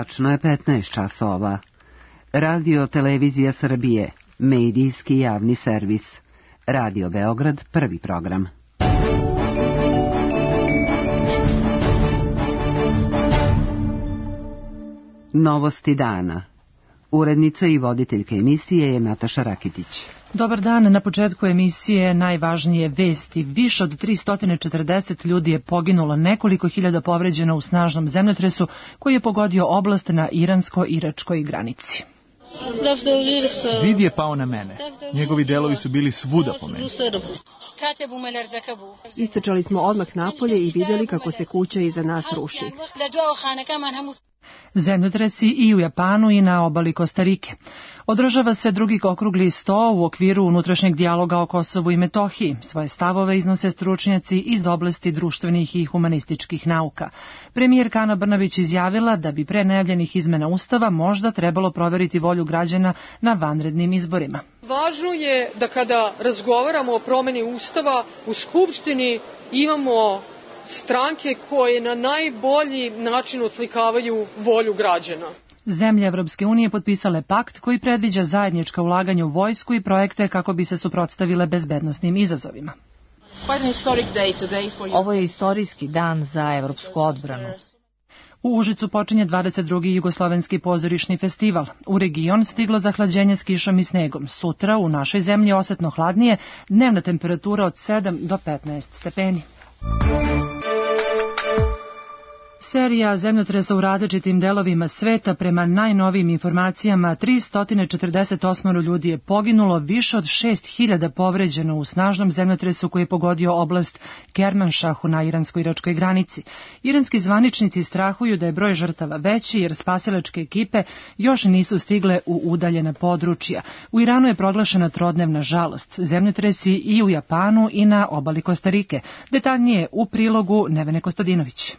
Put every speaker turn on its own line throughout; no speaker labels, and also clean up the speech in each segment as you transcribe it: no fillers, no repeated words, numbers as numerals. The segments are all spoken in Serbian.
Tačno je 15 časova. Radio Televizija Srbije, medijski javni servis. Radio Beograd, prvi program. Novosti dana. Urednica i voditeljka emisije je Nataša Rakitić.
Dobar dan, na početku emisije najvažnije vesti. Više od 340 ljudi je poginulo, nekoliko hiljada povređeno u snažnom zemljotresu koji je pogodio oblast na iransko-iračkoj granici.
Zid je pao na mene. Njegovi delovi su bili svuda po meni.
Istrčali smo odmah napolje i vidjeli kako se kuća iza nas ruši.
Zemljotresi i u Japanu i na obali Kostarike. Održava se drugi okrugli sto u okviru unutrašnjeg dijaloga o Kosovu i Metohiji. Svoje stavove iznose stručnjaci iz oblasti društvenih i humanističkih nauka. Premijerka Ana Brnabić izjavila da bi pre najavljenih izmena Ustava možda trebalo proveriti volju građana na vanrednim izborima.
Važno je da kada razgovaramo o promeni Ustava u Skupštini imamo stranke koje na najbolji način odslikavaju volju građana.
Zemlje Evropske unije potpisale pakt koji predviđa zajednička ulaganja u vojsku i projekte kako bi se suprotstavile bezbednosnim izazovima.
Ovo je istorijski dan za evropsku odbranu.
U Užicu počinje 22. Jugoslovenski pozorišni festival. U region stiglo zahlađenje s kišom i snegom. Sutra u našoj zemlji osetno hladnije, dnevna temperatura od 7 do 15 stepeni. Serija zemljotresa u različitim delovima sveta, prema najnovijim informacijama 348 ljudi je poginulo, više od 6000 povređeno u snažnom zemljotresu koji je pogodio oblast Kermanšahu na iransko-iračkoj granici. Iranski zvaničnici strahuju da je broj žrtava veći jer spasilačke ekipe još nisu stigle u udaljena područja. U Iranu je proglašena trodnevna žalost. Zemljotresi i u Japanu i na obali Kostarike. Detaljnije u prilogu Nevene Kostadinović.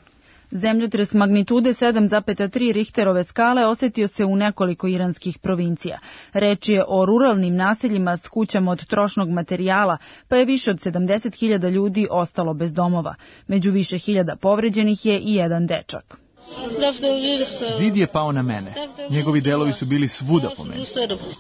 Zemljotres magnitude 7,3 Richterove skale osetio se u nekoliko iranskih provincija. Reč je o ruralnim naseljima s kućama od trošnog materijala, pa je više od 70.000 ljudi ostalo bez domova. Među više hiljada povređenih je i jedan dečak.
Zid je pao na mene. Njegovi delovi su bili svuda po meni.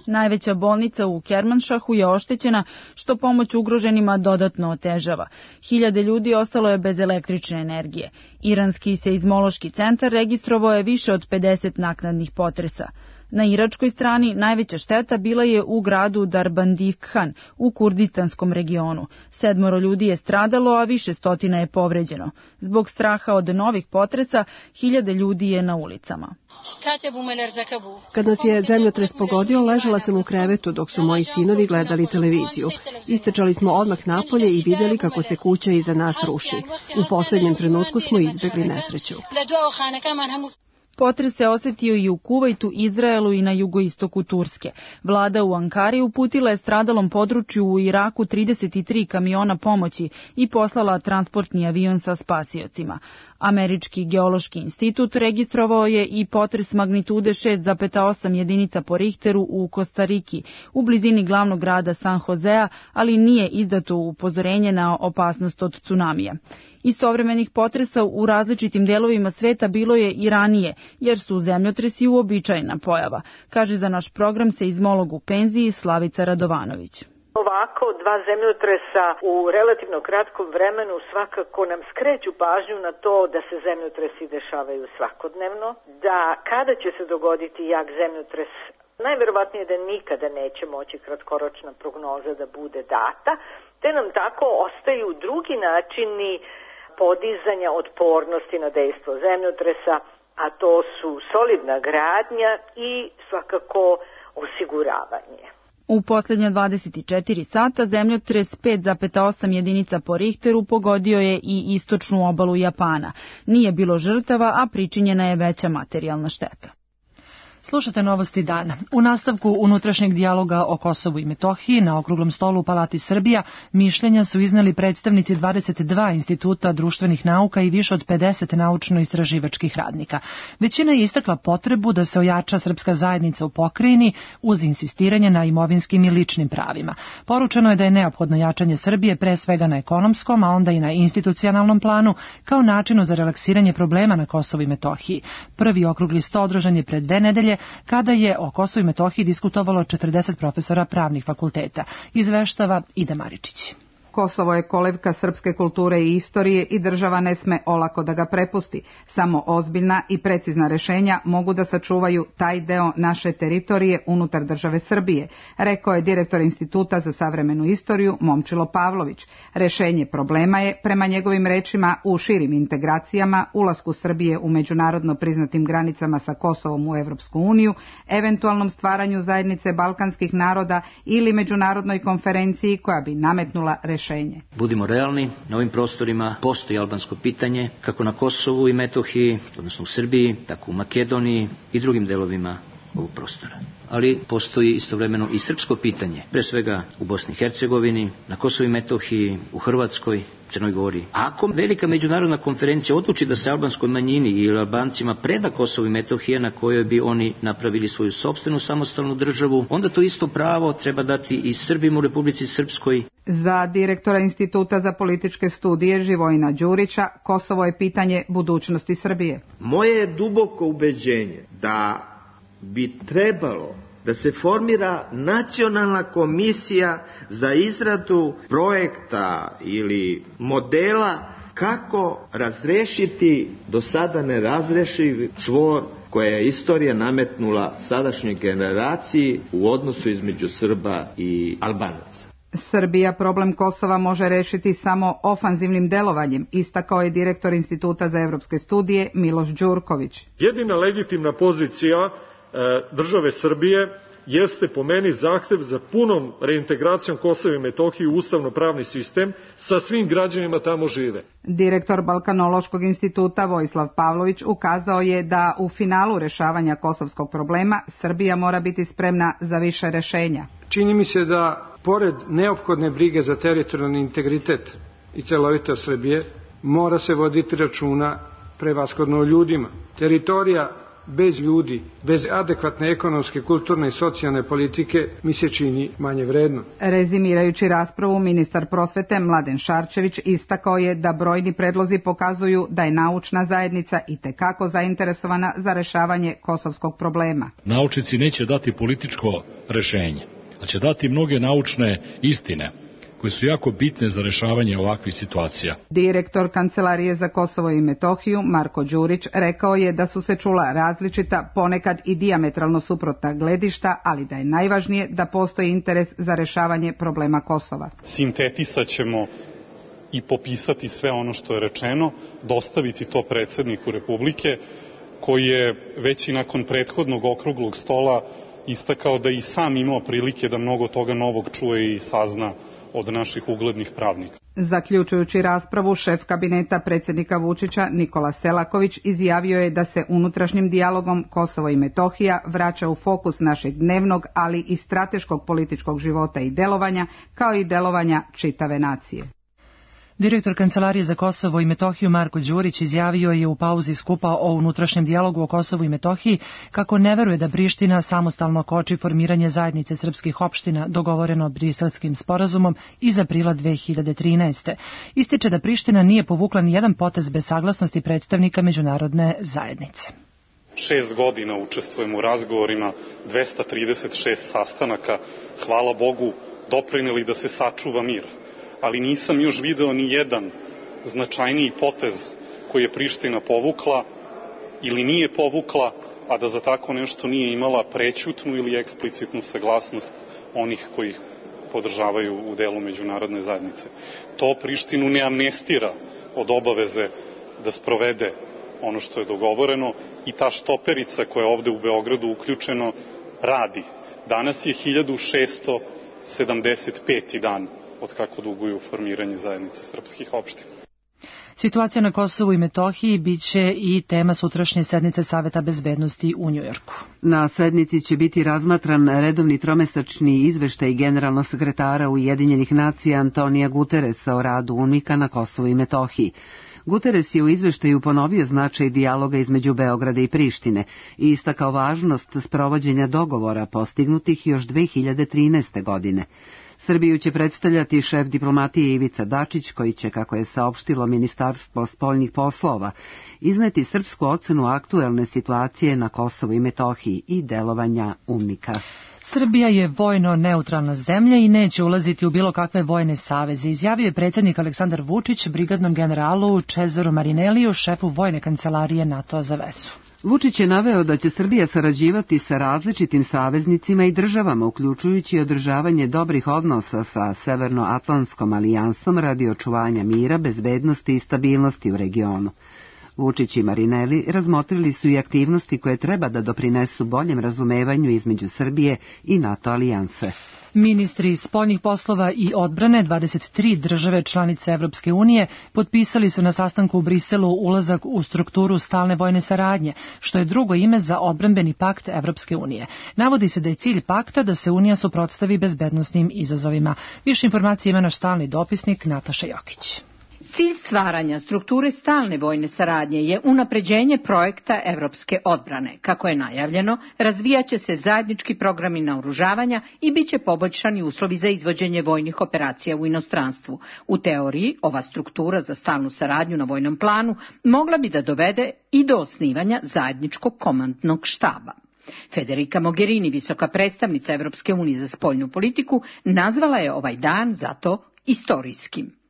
Najveća bolnica u Kermanšahu je oštećena, što pomoć ugroženima dodatno otežava. Hiljade ljudi ostalo je bez električne energije. Iranski seizmološki centar registrovao je više od 50 naknadnih potresa. Na iračkoj strani najveća šteta bila je u gradu Darbandikhan u kurdistanskom regionu. 7 ljudi je stradalo, a više stotina je povređeno. Zbog straha od novih potresa, hiljade ljudi je na ulicama.
Kad nas je zemljotres pogodio, ležala sam u krevetu dok su moji sinovi gledali televiziju. Istrčali smo odmah napolje i vidjeli kako se kuća iza nas ruši. U posljednjem trenutku smo izbjegli nesreću.
Potres se osetio i u Kuvajtu, Izraelu i na jugoistoku Turske. Vlada u Ankari uputila je stradalom području u Iraku 33 kamiona pomoći i poslala transportni avion sa spasiocima. Američki geološki institut registrovao je i potres magnitude 6,8 jedinica po Richteru u Kostariki, u blizini glavnog grada San Josea, ali nije izdato upozorenje na opasnost od tsunamija. Istovremenih potresa u različitim delovima sveta bilo je i ranije, jer su zemljotresi uobičajena pojava, kaže za naš program seizmolog u penziji Slavica Radovanović.
Ovako, dva zemljotresa u relativno kratkom vremenu svakako nam skreću pažnju na to da se zemljotresi dešavaju svakodnevno, da kada će se dogoditi jak zemljotres, najverovatnije da nikada neće moći kratkoročna prognoza da bude data, te nam tako ostaju drugi načini podizanja otpornosti na dejstvo zemljotresa, a to su solidna gradnja i svakako osiguravanje.
U posljednja 24 sata zemljotres 5,8 jedinica po Richteru pogodio je i istočnu obalu Japana. Nije bilo žrtava, a pričinjena je veća materijalna šteta.
Slušate novosti dana. U nastavku unutrašnjeg dijaloga o Kosovu i Metohiji na okruglom stolu u Palati Srbija mišljenja su izneli predstavnici 22 instituta društvenih nauka i više od 50 naučno-istraživačkih radnika. Većina je istakla potrebu da se ojača srpska zajednica u pokrajini uz insistiranje na imovinskim i ličnim pravima. Poručeno je da je neophodno jačanje Srbije pre svega na ekonomskom, a onda i na institucionalnom planu kao načinu za relaksiranje problema na Kosovu i Metohiji. Prvi okrugli sto održan je pred 2 nedelje kada je o Kosovu i Metohiji diskutovalo 40 profesora pravnih fakulteta. Izveštava Ida Maričić.
Kosovo je kolevka srpske kulture i istorije i država ne sme olako da ga prepusti. Samo ozbiljna i precizna rešenja mogu da sačuvaju taj deo naše teritorije unutar države Srbije, rekao je direktor Instituta za savremenu istoriju Momčilo Pavlović. Rešenje problema je, prema njegovim rečima, u širim integracijama, ulasku Srbije u međunarodno priznatim granicama sa Kosovom u Evropsku uniju, eventualnom stvaranju zajednice balkanskih naroda ili međunarodnoj konferenciji koja bi nametnula rešenje.
Budimo realni, na ovim prostorima postoji albansko pitanje, kako na Kosovu i Metohiji, odnosno u Srbiji, tako u Makedoniji i drugim delovima ovog prostora. Ali postoji istovremeno i srpsko pitanje, pre svega u Bosni i Hercegovini, na Kosovu i Metohiji, u Hrvatskoj, Crnoj Gori. Ako velika međunarodna konferencija odluči da se albanskoj manjini ili Albancima preda Kosovo i Metohija na kojoj bi oni napravili svoju sopstvenu samostalnu državu, onda to isto pravo treba dati i Srbima u Republici Srpskoj.
Za direktora Instituta za političke studije Živojina Đurića, Kosovo je pitanje budućnosti Srbije.
Moje je duboko ubeđenje da bi trebalo da se formira nacionalna komisija za izradu projekta ili modela kako razrešiti do sada nerazrešiv čvor koje je istorija nametnula sadašnjoj generaciji u odnosu između Srba i Albanaca.
Srbija problem Kosova može rešiti samo ofanzivnim delovanjem, istakao je direktor Instituta za evropske studije Miloš Đurković.
Jedina legitimna pozicija države Srbije jeste po meni zahtev za punom reintegracijom Kosova i Metohije u ustavno-pravni sistem sa svim građanima tamo žive.
Direktor Balkanološkog instituta Vojislav Pavlović ukazao je da u finalu rešavanja kosovskog problema Srbija mora biti spremna za više rešenja.
Čini mi se da pored neophodne brige za teritorijalni integritet i celovitost Srbije mora se voditi računa prevashodno o ljudima. Teritorija bez ljudi, bez adekvatne ekonomske, kulturne i socijalne politike mi se čini manje vredno.
Rezimirajući raspravu, ministar prosvete Mladen Šarčević istakao je da brojni predlozi pokazuju da je naučna zajednica itekako zainteresovana za rešavanje kosovskog problema.
Naučnici neće dati političko rešenje, ali će dati mnoge naučne istine koje su jako bitne za rešavanje ovakvih situacija.
Direktor Kancelarije za Kosovo i Metohiju Marko Đurić rekao je da su se čula različita, ponekad i dijametralno suprotna gledišta, ali da je najvažnije da postoji interes za rešavanje problema Kosova.
Sintetisat ćemo i popisati sve ono što je rečeno, dostaviti to predsjedniku Republike, koji je već i nakon prethodnog okruglog stola istakao da i sam imao prilike da mnogo toga novog čuje i sazna od naših uglednih pravnika.
Zaključujući raspravu, šef kabineta predsjednika Vučića Nikola Selaković izjavio je da se unutrašnjim dijalogom Kosovo i Metohija vraća u fokus našeg dnevnog, ali i strateškog političkog života i delovanja, kao i delovanja čitave nacije.
Direktor Kancelarije za Kosovo i Metohiju Marko Đurić izjavio je u pauzi skupa o unutrašnjem dijalogu o Kosovu i Metohiji kako ne veruje da Priština samostalno koči formiranje zajednice srpskih opština dogovoreno Briselskim sporazumom iz aprila 2013. Ističe da Priština nije povukla ni jedan potez bez saglasnosti predstavnika međunarodne zajednice.
6 godina učestvujem u razgovorima, 236 sastanaka, hvala Bogu, doprineli da se sačuva mir. Ali nisam još video ni jedan značajniji potez koji je Priština povukla ili nije povukla, a da za tako nešto nije imala prećutnu ili eksplicitnu saglasnost onih koji ih podržavaju u delu međunarodne zajednice. To Prištinu ne amnestira od obaveze da sprovede ono što je dogovoreno i ta štoperica koja je ovde u Beogradu uključeno radi. Danas je 1675. dan od kako duguju formiranje zajednice srpskih opština.
Situacija na Kosovu i Metohiji biće i tema sutrašnje sednice Saveta bezbednosti u Njujorku.
Na sednici će biti razmatran redovni tromesečni izveštaj generalnog sekretara Ujedinjenih nacija Antonija Guteresa o radu UNMIK-a na Kosovu i Metohiji. Guteres je u izveštaju ponovio značaj dijaloga između Beograda i Prištine i istakao važnost sprovođenja dogovora postignutih još 2013. godine. Srbiju će predstavljati šef diplomatije Ivica Dačić, koji će, kako je saopštilo Ministarstvo spoljnih poslova, izneti srpsku ocenu aktuelne situacije na Kosovu i Metohiji i delovanja UNMIK-a.
Srbija je vojno neutralna zemlja i neće ulaziti u bilo kakve vojne saveze, izjavio je predsjednik Aleksandar Vučić brigadnom generalu Čezaru Marineliju, šefu vojne kancelarije NATO-a za vezu.
Vučić je naveo da će Srbija sarađivati sa različitim saveznicima i državama, uključujući održavanje dobrih odnosa sa Severnoatlantskom alijansom radi očuvanja mira, bezbednosti i stabilnosti u regionu. Vučić i Marinelli razmotrili su i aktivnosti koje treba da doprinesu boljem razumevanju između Srbije i NATO alijanse.
Ministri spoljnih poslova i odbrane 23 države članice Evropske unije potpisali su na sastanku u Briselu ulazak u strukturu stalne vojne saradnje, što je drugo ime za odbrambeni pakt Evropske unije. Navodi se da je cilj pakta da se Unija suprotstavi bezbednosnim izazovima. Više informacije ima naš stalni dopisnik Nataša Jokić.
Cilj stvaranja strukture stalne vojne saradnje je unapređenje projekta evropske odbrane. Kako je najavljeno, razvijaće se zajednički programi naoružavanja i bit će poboljšani uslovi za izvođenje vojnih operacija u inostranstvu. U teoriji, ova struktura za stalnu saradnju na vojnom planu mogla bi da dovede i do osnivanja zajedničkog komandnog štaba. Federica Mogherini, visoka predstavnica Evropske unije za spoljnu politiku, nazvala je ovaj dan zato istorijskim.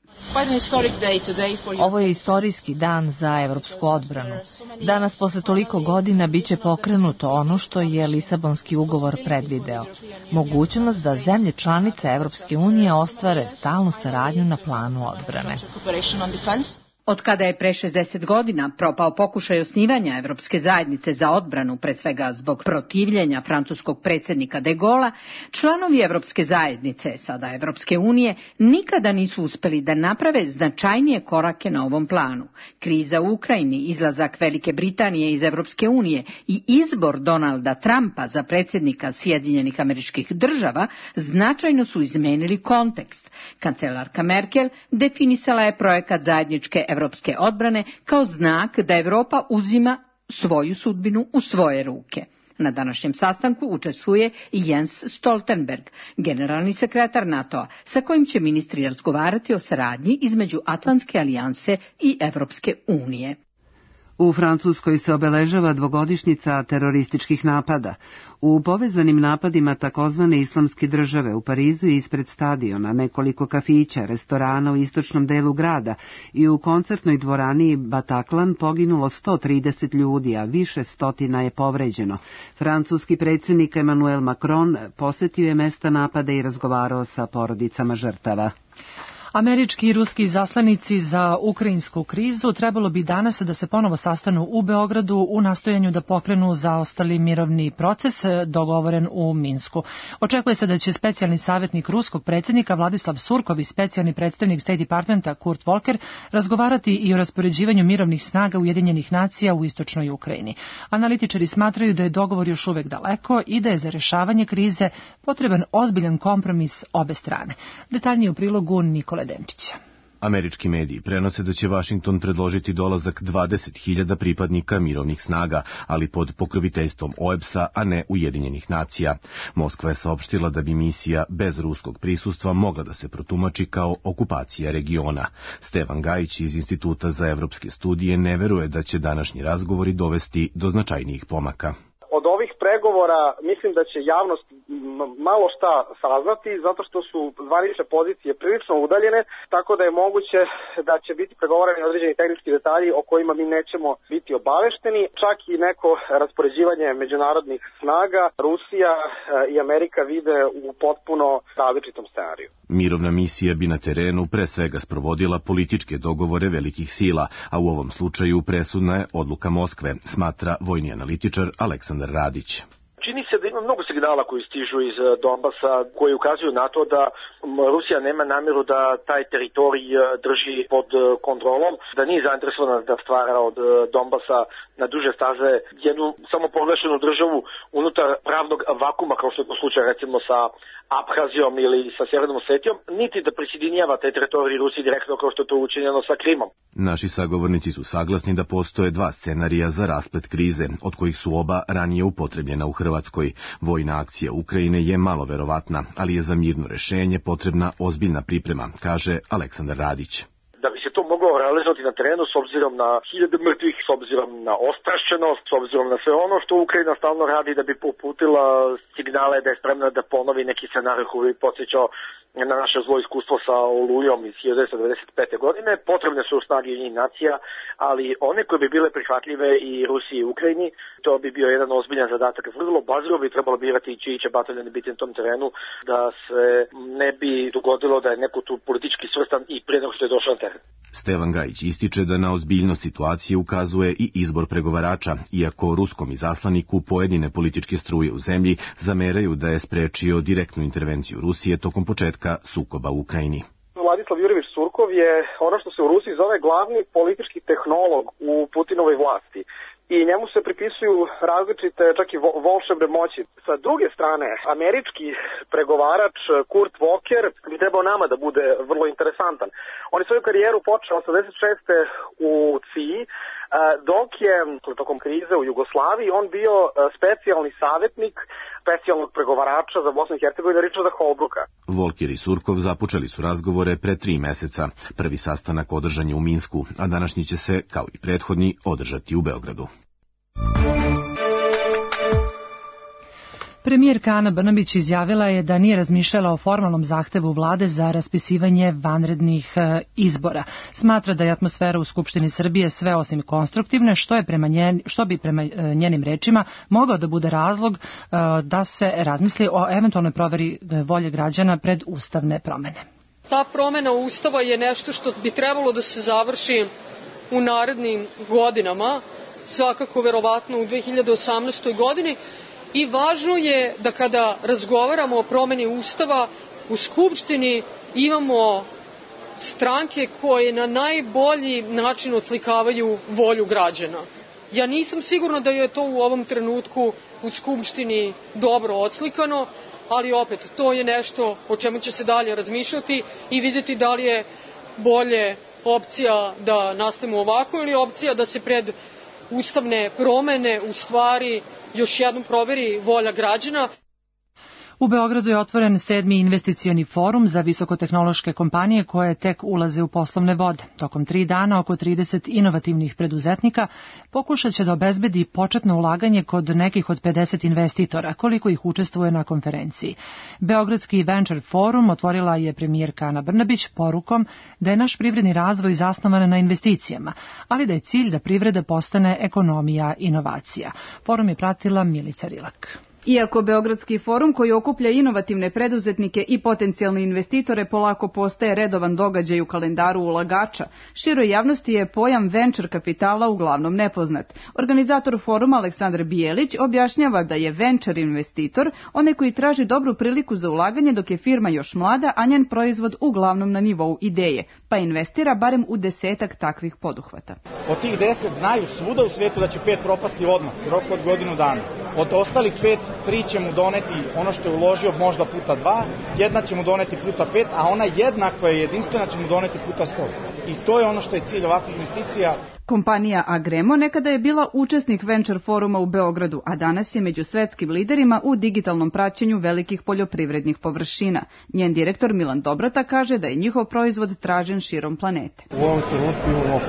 Ovo je istorijski dan za evropsku odbranu. Danas, posle toliko godina, biće pokrenuto ono što je Lisabonski ugovor predvideo. Mogućnost da zemlje članice Evropske unije ostvare stalnu saradnju na planu odbrane.
Od kada je pre 60 godina propao pokušaj osnivanja Evropske zajednice za odbranu, pre svega zbog protivljenja francuskog predsjednika de Gaulle'a, članovi Evropske zajednice, sada Evropske unije, nikada nisu uspeli da naprave značajnije korake na ovom planu. Kriza u Ukrajini, izlazak Velike Britanije iz Evropske unije i izbor Donalda Trumpa za predsjednika Sjedinjenih Američkih Država značajno su izmenili kontekst. Kancelarka Merkel definisala je projekat zajedničke evropske odbrane kao znak da Evropa uzima svoju sudbinu u svoje ruke. Na današnjem sastanku učestvuje i Jens Stoltenberg, generalni sekretar NATO-a, sa kojim će ministri razgovarati o saradnji između Atlantske alijanse i Evropske unije.
U Francuskoj se obeležava dvogodišnjica terorističkih napada. U povezanim napadima takozvane islamske države u Parizu i ispred stadiona, nekoliko kafića, restorana u istočnom delu grada i u koncertnoj dvorani Bataclan poginulo 130 ljudi, a više stotina je povređeno. Francuski predsjednik Emmanuel Macron posetio je mesta napada i razgovarao sa porodicama žrtava.
Američki i ruski zaslanici za ukrajinsku krizu trebalo bi danas da se ponovo sastanu u Beogradu u nastojanju da pokrenu zaostali mirovni proces dogovoren u Minsku. Očekuje se da će specijalni savjetnik ruskog predsjednika Vladislav Surkov i specijalni predstavnik State Departmenta Kurt Volker razgovarati i o raspoređivanju mirovnih snaga Ujedinjenih nacija u istočnoj Ukrajini. Analitičari smatraju da je dogovor još uvek daleko i da je za rješavanje krize potreban ozbiljan kompromis obe strane. Detaljnije u prilogu Nikole Denčića.
Američki mediji prenose da će Vašington predložiti dolazak 20.000 pripadnika mirovnih snaga, ali pod pokroviteljstvom OEBS-a, a ne Ujedinjenih nacija. Moskva je saopštila da bi misija bez ruskog prisustva mogla da se protumači kao okupacija regiona. Stevan Gajić iz Instituta za evropske studije ne veruje da će današnji razgovori dovesti do značajnijih pomaka.
Od ovih pregovora mislim da će javnost malo šta saznati, zato što su zvanične pozicije prilično udaljene, tako da je moguće da će biti pregovarani određeni tehnički detalji o kojima mi nećemo biti obavešteni, čak i neko raspoređivanje međunarodnih snaga. Rusija i Amerika vide u potpuno različitom scenariju.
Mirovna misija bi na terenu pre svega sprovodila političke dogovore velikih sila, a u ovom slučaju presudna je odluka Moskve, smatra vojni analitičar Aleksandar Radić.
Čini se da ima mnogo signala koji stižu iz Donbasa koji ukazuju na to da Rusija nema namjeru da taj teritorij drži pod kontrolom, da nije zainteresovana da stvara od Donbasa na duže staze jednu samoproglašenu državu unutar pravnog vakuma, kao što je to slučaj recimo sa Abhazijom ili sa Sjevernom Osetijom, niti da prisjedinjava te teritorije Rusiji direktno kao što je to učinjeno sa Krimom.
Naši sagovornici su saglasni da postoje dva scenarija za rasplet krize, od kojih su oba ranije upotrebljena u Hrvatskoj. Vojna akcija Ukrajine je malo verovatna, ali je za mirno rešenje potrebna ozbiljna priprema, kaže Aleksandar Radić.
Da bi se to moglo realizovati na terenu s obzirom na hiljade mrtvih, s obzirom na ostrašćenost, s obzirom na sve ono što Ukrajina stalno radi da bi uputila signale da je spremna da ponovi neki scenarij koji bi podsjećao na naše zlo iskustvo sa Olujom iz 1995. godine. Potrebne su snage Ujedinjenih nacija, ali one koje bi bile prihvatljive i Rusiji i Ukrajini, to bi bio jedan ozbiljan zadatak. Vrlo baziro bi trebalo birati čiji će bataljon biti na tom terenu, da se ne bi dogodilo da je neko tu politički svrstan i prije nego što je došao na teren.
Stevan Gajić ističe da na ozbiljnost situacije ukazuje i izbor pregovarača, iako ruskom izaslaniku pojedine političke struje u zemlji zameraju da je sprečio direktnu intervenciju Rusije tokom početka sukoba u Ukrajini.
Vladislav Jurjević Surkov je ono što se u Rusiji zove glavni politički tehnolog u Putinovoj vlasti. I njemu se pripisuju različite, čak i volšebne moći. Sa druge strane, američki pregovarač Kurt Volker bi trebao nama da bude vrlo interesantan. On je svoju karijeru počeo 86. u CIA, dok je tokom krize u Jugoslaviji on bio specijalni savjetnik specijalnog pregovarača za Bosnu i Hercegovinu Richarda Holbrooka.
Volker i Surkov započeli su razgovore pre 3 meseca. Prvi sastanak održan je u Minsku, a današnji će se, kao i prethodni, održati u Beogradu.
Premijerka Ana Brnabić izjavila je da nije razmišljala o formalnom zahtevu vlade za raspisivanje vanrednih izbora. Smatra da je atmosfera u Skupštini Srbije sve osim konstruktivne, što bi prema njenim rečima mogao da bude razlog da se razmisli o eventualnoj proveri volje građana pred ustavne promene.
Ta promena Ustava je nešto što bi trebalo da se završi u narednim godinama, svakako verovatno u 2018. godini, i važno je da kada razgovaramo o promeni Ustava u Skupštini imamo stranke koje na najbolji način odslikavaju volju građana. Ja nisam sigurna da je to u ovom trenutku u Skupštini dobro odslikano, ali opet to je nešto o čemu će se dalje razmišljati i vidjeti da li je bolje opcija da nastavimo ovako ili opcija da se pred ustavne promene u stvari još jednom proveri volja građana.
U Beogradu je otvoren 7. investicioni forum za visokotehnološke kompanije koje tek ulaze u poslovne vode. Tokom 3 dana oko 30 inovativnih preduzetnika pokušat će da obezbedi početno ulaganje kod nekih od 50 investitora, koliko ih učestvuje na konferenciji. Beogradski Venture Forum otvorila je premijerka Ana Brnabić porukom da je naš privredni razvoj zasnovan na investicijama, ali da je cilj da privreda postane ekonomija inovacija. Forum je pratila Milica Rilak.
Iako Beogradski forum koji okuplja inovativne preduzetnike i potencijalne investitore polako postaje redovan događaj u kalendaru ulagača, široj javnosti je pojam venture kapitala uglavnom nepoznat. Organizator foruma Aleksandar Bijelić objašnjava da je venture investitor onaj koji traži dobru priliku za ulaganje dok je firma još mlada, a njen proizvod uglavnom na nivou ideje, pa investira barem u 10 takvih poduhvata.
Od tih 10 znaju svuda u svijetu da će 5 propasti odmah, u roku od godinu dana. Od ostalih 5, 3 će mu doneti ono što je uložio možda puta 2, jedna će mu doneti puta 5, a ona jedna koja je jedinstvena će mu doneti puta 100. I to je ono što je cilj ovakvih investicija.
Kompanija Agremo nekada je bila učesnik Venture foruma u Beogradu, a danas je među svetskim liderima u digitalnom praćenju velikih poljoprivrednih površina. Njen direktor Milan Dobrata kaže da je njihov proizvod tražen širom planete.
U ovom trenutku imamo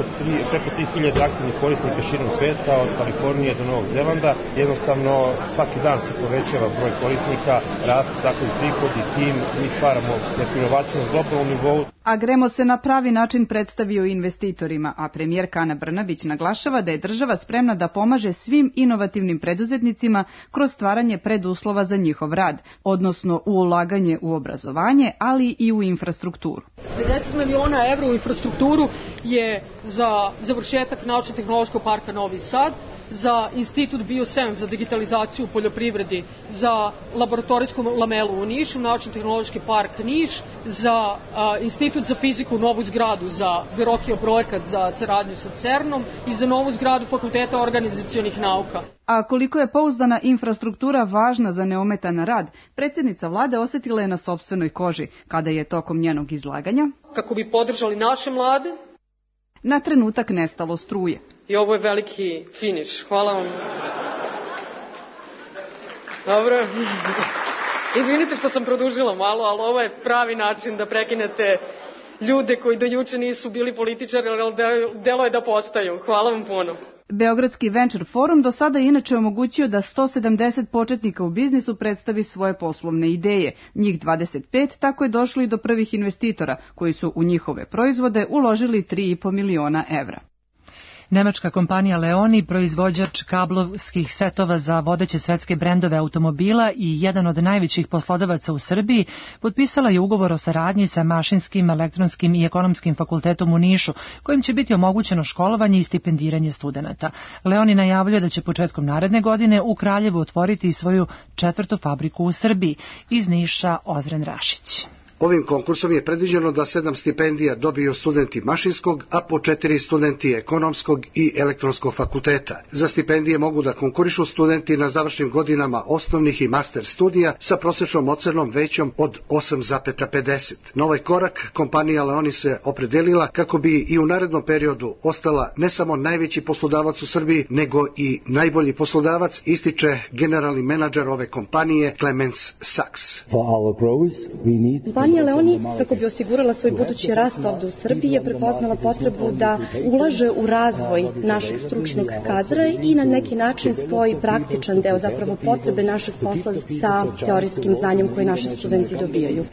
preko 3000 aktivnih korisnika širom sveta, od Kalifornije do Novog Zelanda. Jednostavno svaki dan se povećava broj korisnika, raste tako i prihod i tim, mi stvaramo neku inovaciju na globalnom nivou.
Agremo se na pravi način predstavio investitorima, a premijerka Ana Brnabić naglašava da je država spremna da pomaže svim inovativnim preduzetnicima kroz stvaranje preduslova za njihov rad, odnosno u ulaganje u obrazovanje, ali i u infrastrukturu.
50 miliona evra u infrastrukturu je za završetak naučno-tehnološkog parka Novi Sad, za Institut Biosens za digitalizaciju u poljoprivredi, za laboratorijsku lamelu u Nišu, Naučno-tehnološki park Niš, za Institut za fiziku, novu zgradu za Verokio projekat za saradnju sa CERN-om i za novu zgradu Fakulteta organizacionih nauka.
A koliko je pouzdana infrastruktura važna za neometan rad, predsjednica vlade osjetila je na sopstvenoj koži kada je tokom njenog izlaganja,
kako bi podržali naše mlade,
na trenutak nestalo struje.
I ovo je veliki finiš. Hvala vam. Dobro. Izvinite što sam produžila malo, ali ovo je pravi način da prekinete ljude koji do juče nisu bili političari, ali delo je da postaju. Hvala vam puno.
Beogradski Venture Forum do sada je inače omogućio da 170 početnika u biznisu predstavi svoje poslovne ideje. Njih 25 tako je došlo i do prvih investitora koji su u njihove proizvode uložili 3,5 miliona evra.
Nemačka kompanija Leoni, proizvođač kablovskih setova za vodeće svetske brendove automobila i jedan od najvećih poslodavaca u Srbiji, potpisala je ugovor o saradnji sa Mašinskim, Elektronskim i Ekonomskim fakultetom u Nišu, kojim će biti omogućeno školovanje i stipendiranje studenata. Leoni najavljuje da će početkom naredne godine u Kraljevu otvoriti svoju 4. fabriku u Srbiji. Iz Niša Ozren Rašić.
Ovim konkursom je predviđeno da 7 stipendija dobiju studenti Mašinskog, a po 4 studenti Ekonomskog i Elektronskog fakulteta. Za stipendije mogu da konkurišu studenti na završnim godinama osnovnih i master studija sa prosječnom ocenom većom od 8,50. Na ovaj korak kompanija Leoni se opredelila kako bi i u narednom periodu ostala ne samo najveći poslodavac u Srbiji, nego i najbolji poslodavac, ističe generalni menadžer ove kompanije Clemens Sachs.
Kompanija Leoni, kako bi osigurala svoj budući rast ovdje u Srbiji, je prepoznala potrebu da ulaže u razvoj našeg stručnog kadra i na neki način spoji praktičan deo, zapravo potrebe našeg posla sa teorijskim znanjem koje naši studenti dobijaju.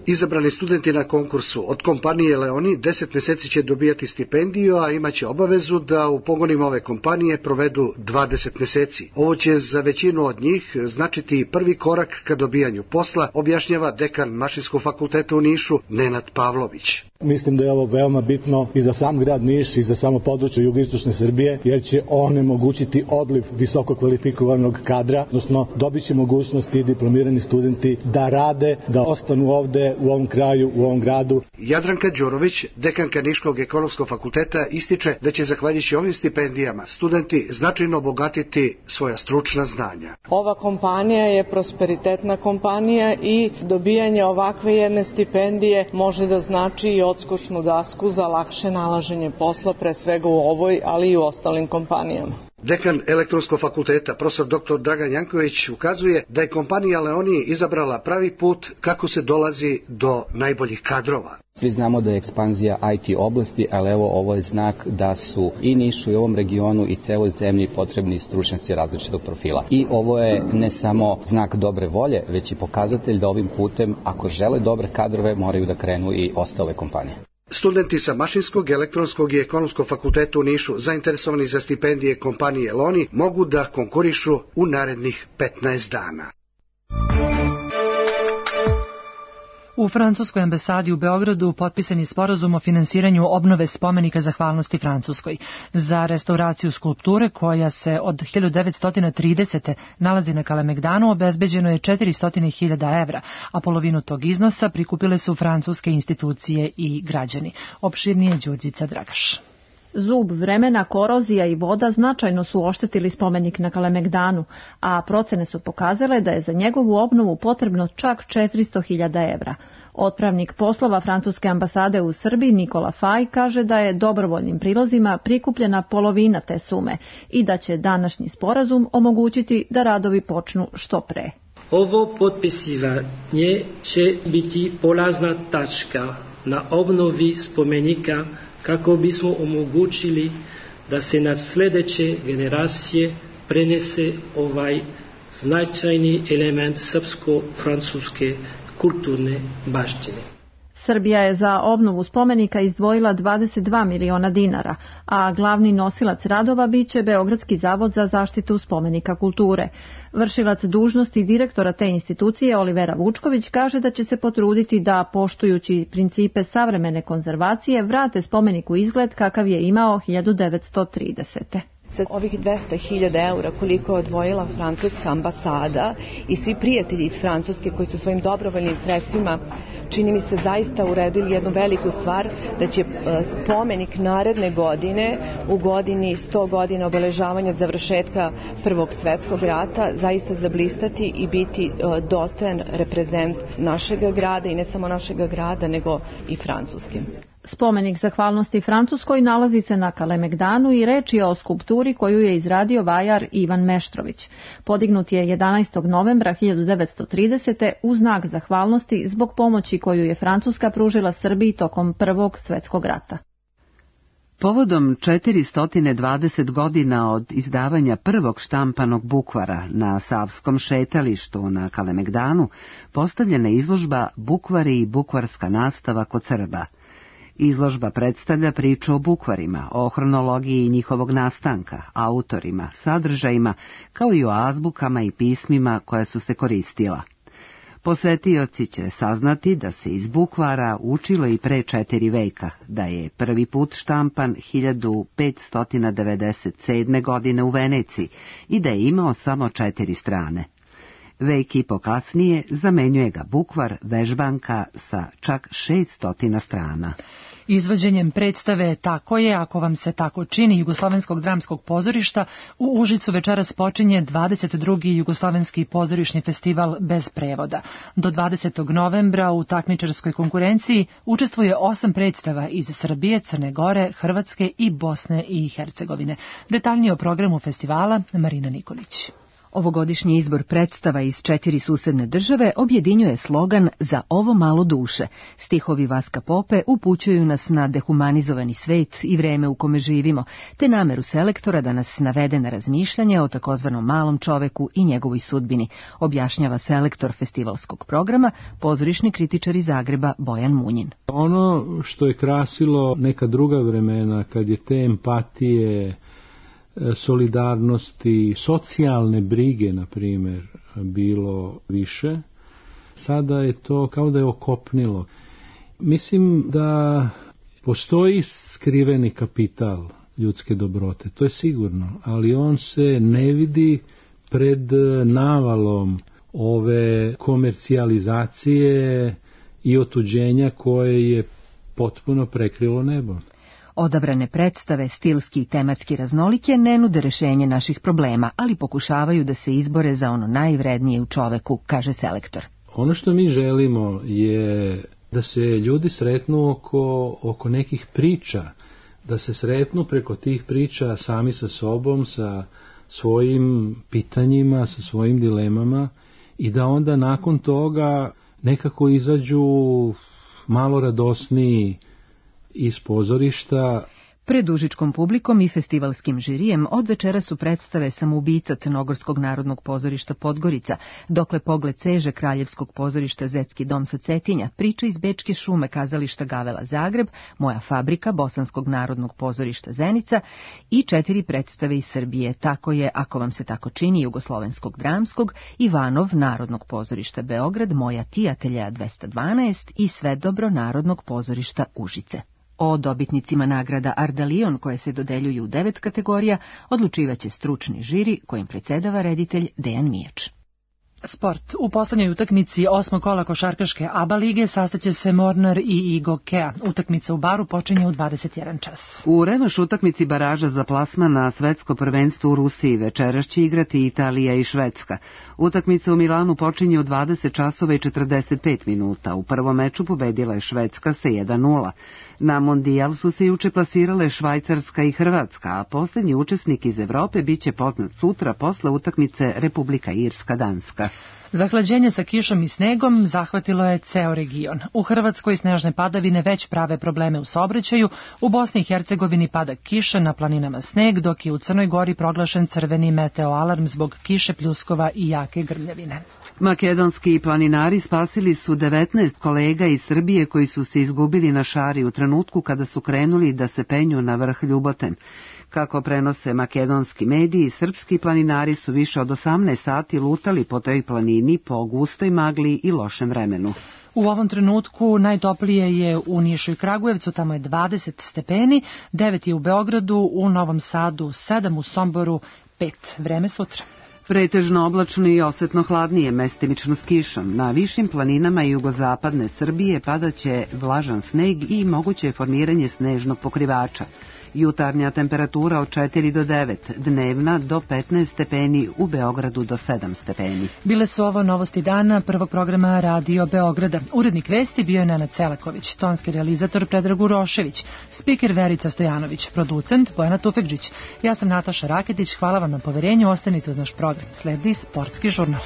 Izabrani studenti na konkursu od kompanije Leoni 10 mjeseci će dobijati stipendiju, a imaće obavezu da u pogonima ove kompanije provedu 20 mjeseci. Ovo će za većinu od njih značiti prvi korak ka dobijanju posla, objašnjava dekan Mašinskog fakulteta u Nišu Nenad Pavlović.
Mislim da je ovo veoma bitno i za sam grad Niš i za samo područje jugoistočne Srbije, jer će onemogućiti odliv visoko kvalifikovanog kadra, odnosno dobit će mogućnosti diplomirani studenti da rade, da ostanu ovde u ovom kraju, u ovom gradu.
Jadranka Đurović, dekanka Niškog ekonomskog fakulteta, ističe da će zahvaljujući ovim stipendijama studenti značajno obogatiti svoja stručna znanja.
Ova kompanija je prosperitetna kompanija i dobijanje ovakve jedne stipendije može da znači i odskočnu dasku za lakše nalaženje posla, pre svega u ovoj, ali i u ostalim kompanijama.
Dekan Elektronskog fakulteta, profesor dr. Dragan Janković, ukazuje da je kompanija Leoni izabrala pravi put kako se dolazi do najboljih kadrova.
Svi znamo da je ekspanzija IT oblasti, ali evo ovo je znak da su i Nišu i ovom regionu i celoj zemlji potrebni stručnjaci različitog profila. I ovo je ne samo znak dobre volje, već i pokazatelj da ovim putem, ako žele dobre kadrove, moraju da krenu i ostale kompanije.
Studenti sa Mašinskog, Elektronskog i Ekonomskog fakulteta u Nišu, zainteresovani za stipendije kompanije Leoni, mogu da konkurišu u narednih 15 dana.
U francuskoj ambasadi u Beogradu potpisan je sporazum o finansiranju obnove spomenika zahvalnosti Francuskoj. Za restauraciju skulpture, koja se od 1930. nalazi na Kalemegdanu, obezbeđeno je 400.000 evra, a polovinu tog iznosa prikupile su francuske institucije i građani. Opširnije Đurđica Dragaš.
Zub vremena, korozija i voda značajno su oštetili spomenik na Kalemegdanu, a procene su pokazale da je za njegovu obnovu potrebno čak 400.000 evra. Otpravnik poslova francuske ambasade u Srbiji Nikola Faj kaže da je dobrovoljnim prilozima prikupljena polovina te sume i da će današnji sporazum omogućiti da radovi počnu što pre.
Ovo potpisivanje će biti polazna tačka na obnovi spomenika kako bismo omogućili da se na sljedeće generacije prenese ovaj značajni element srpsko-francuske kulturne baštine.
Srbija je za obnovu spomenika izdvojila 22 miliona dinara, a glavni nosilac radova biće Beogradski zavod za zaštitu spomenika kulture. Vršilac dužnosti direktora te institucije Olivera Vučković kaže da će se potruditi da, poštujući principe savremene konzervacije, vrate spomeniku izgled kakav je imao 1930.
Sa ovih 200.000 eura koliko je odvojila francuska ambasada i svi prijatelji iz Francuske koji su svojim dobrovoljnim sredstvima, čini mi se, zaista uredili jednu veliku stvar, da će spomenik naredne godine, u godini 100 godina obeležavanja završetka Prvog svetskog rata, zaista zablistati i biti dostojan reprezent našeg grada i ne samo našeg grada, nego i Francuske.
Spomenik zahvalnosti Francuskoj nalazi se na Kalemegdanu i reč je o skulpturi koju je izradio vajar Ivan Meštrović. Podignut je 11. novembra 1930. u znak zahvalnosti zbog pomoći koju je Francuska pružila Srbiji tokom Prvog svetskog rata.
Povodom 420 godina od izdavanja prvog štampanog bukvara na Savskom šetalištu na Kalemegdanu postavljena izložba Bukvari i bukvarska nastava kod Srba. Izložba predstavlja priču o bukvarima, o hronologiji njihovog nastanka, autorima, sadržajima, kao i o azbukama i pismima koja su se koristila. Posetioci će saznati da se iz bukvara učilo i pre 4 veka, da je prvi put štampan 1597. godine u Veneciji i da je imao samo 4 strane. Vek i po kasnije zamenjuje ga bukvar vežbanka sa čak 600 strana.
Izvođenjem predstave Tako je, ako vam se tako čini, Jugoslovenskog dramskog pozorišta u Užicu večeras počinje 22. Jugoslovenski pozorišni festival bez prevoda. Do 20. novembra u takmičarskoj konkurenciji učestvuje 8 predstava iz Srbije, Crne Gore, Hrvatske i Bosne i Hercegovine. Detaljnije o programu festivala Marina Nikolić.
Ovogodišnji izbor predstava iz 4 susedne države objedinjuje slogan Za ovo malo duše. Stihovi Vaska Pope upućuju nas na dehumanizovani svet i vreme u kome živimo, te nameru selektora da nas navede na razmišljanje o takozvanom malom čoveku i njegovoj sudbini, objašnjava selektor festivalskog programa, pozorišni kritičar iz Zagreba Bojan Munjin.
Ono što je krasilo neka druga vremena, kad je te empatije, solidarnosti, socijalne brige, na primjer, bilo više, sada je to kao da je okopnilo. Mislim da postoji skriveni kapital ljudske dobrote, to je sigurno, ali on se ne vidi pred navalom ove komercijalizacije i otuđenja koje je potpuno prekrilo nebo.
Odabrane predstave, stilski i tematski raznolike, ne nude rešenje naših problema, ali pokušavaju da se izbore za ono najvrednije u čoveku, kaže selektor.
Ono što mi želimo je da se ljudi sretnu oko nekih priča, da se sretnu preko tih priča sami sa sobom, sa svojim pitanjima, sa svojim dilemama i da onda nakon toga nekako izađu malo radosniji iz pozorišta.
Pred užičkom publikom i festivalskim žirijem od večera su predstave Samoubica Crnogorskog narodnog pozorišta Podgorica, Dokle pogled seže Kraljevskog pozorišta Zetski dom sa Cetinja, Priča iz Bečke šume kazališta Gavela Zagreb, Moja fabrika Bosanskog narodnog pozorišta Zenica i 4 predstave iz Srbije, Tako je, ako vam se tako čini, Jugoslovenskog dramskog, Ivanov narodnog pozorišta Beograd, Moja tijatelja 212 i Sve dobro narodnog pozorišta Užice. O dobitnicima nagrada Ardalion, koje se dodeljuju u 9 kategorija, odlučivaće stručni žiri kojim predsjedava reditelj Dejan Mijač.
Sport. U poslednjoj utakmici 8. kola košarkaške ABA lige sastaće se Mornar i Igokea. Utakmica u Baru počinje u 21 čas.
U revanš utakmici baraža za plasman na svetsko prvenstvo u Rusiji večeras će igrati Italija i Švedska. Utakmica u Milanu počinje u 20 časova i 45 minuta. U prvom meču pobedila je Švedska sa 1:0. Na mondijal su se juče plasirale Švajcarska i Hrvatska, a posljednji učesnik iz Evrope biće poznat sutra posle utakmice Republika Irska-Danska.
Zahlađenje sa kišom i snegom zahvatilo je ceo region. U Hrvatskoj snežne padavine već prave probleme u saobraćaju, u Bosni i Hercegovini pada kiša, na planinama sneg, dok je u Crnoj Gori proglašen crveni meteoalarm zbog kiše, pljuskova i jake grmljavine.
Makedonski planinari spasili su 19 kolega iz Srbije koji su se izgubili na šari u trenutku kada su krenuli da se penju na vrh Ljuboten. Kako prenose makedonski mediji, srpski planinari su više od 18 sati lutali po toj planini po gustoj magli i lošem vremenu.
U ovom trenutku najtoplije je u Nišu i Kragujevcu, tamo je 20 stepeni, 9 je u Beogradu, u Novom Sadu 7, u Somboru 5. Vreme sutra.
Pretežno oblačno i osetno hladnije, mestimično s kišom. Na višim planinama jugozapadne Srbije padaće vlažan sneg i moguće je formiranje snežnog pokrivača. Jutarnja temperatura od 4 do 9, dnevna do 15 stepeni, u Beogradu do 7 stepeni.
Bile su ovo novosti dana prvog programa Radio Beograda. Urednik vesti bio je Nenad Selaković, tonski realizator Predrag Urošević, spiker Verica Stojanović, producent Bojana Tufekđić. Ja sam Nataša Raketić, hvala vam na poverenju, ostanite uz naš program. Sledi Sportski žurnal.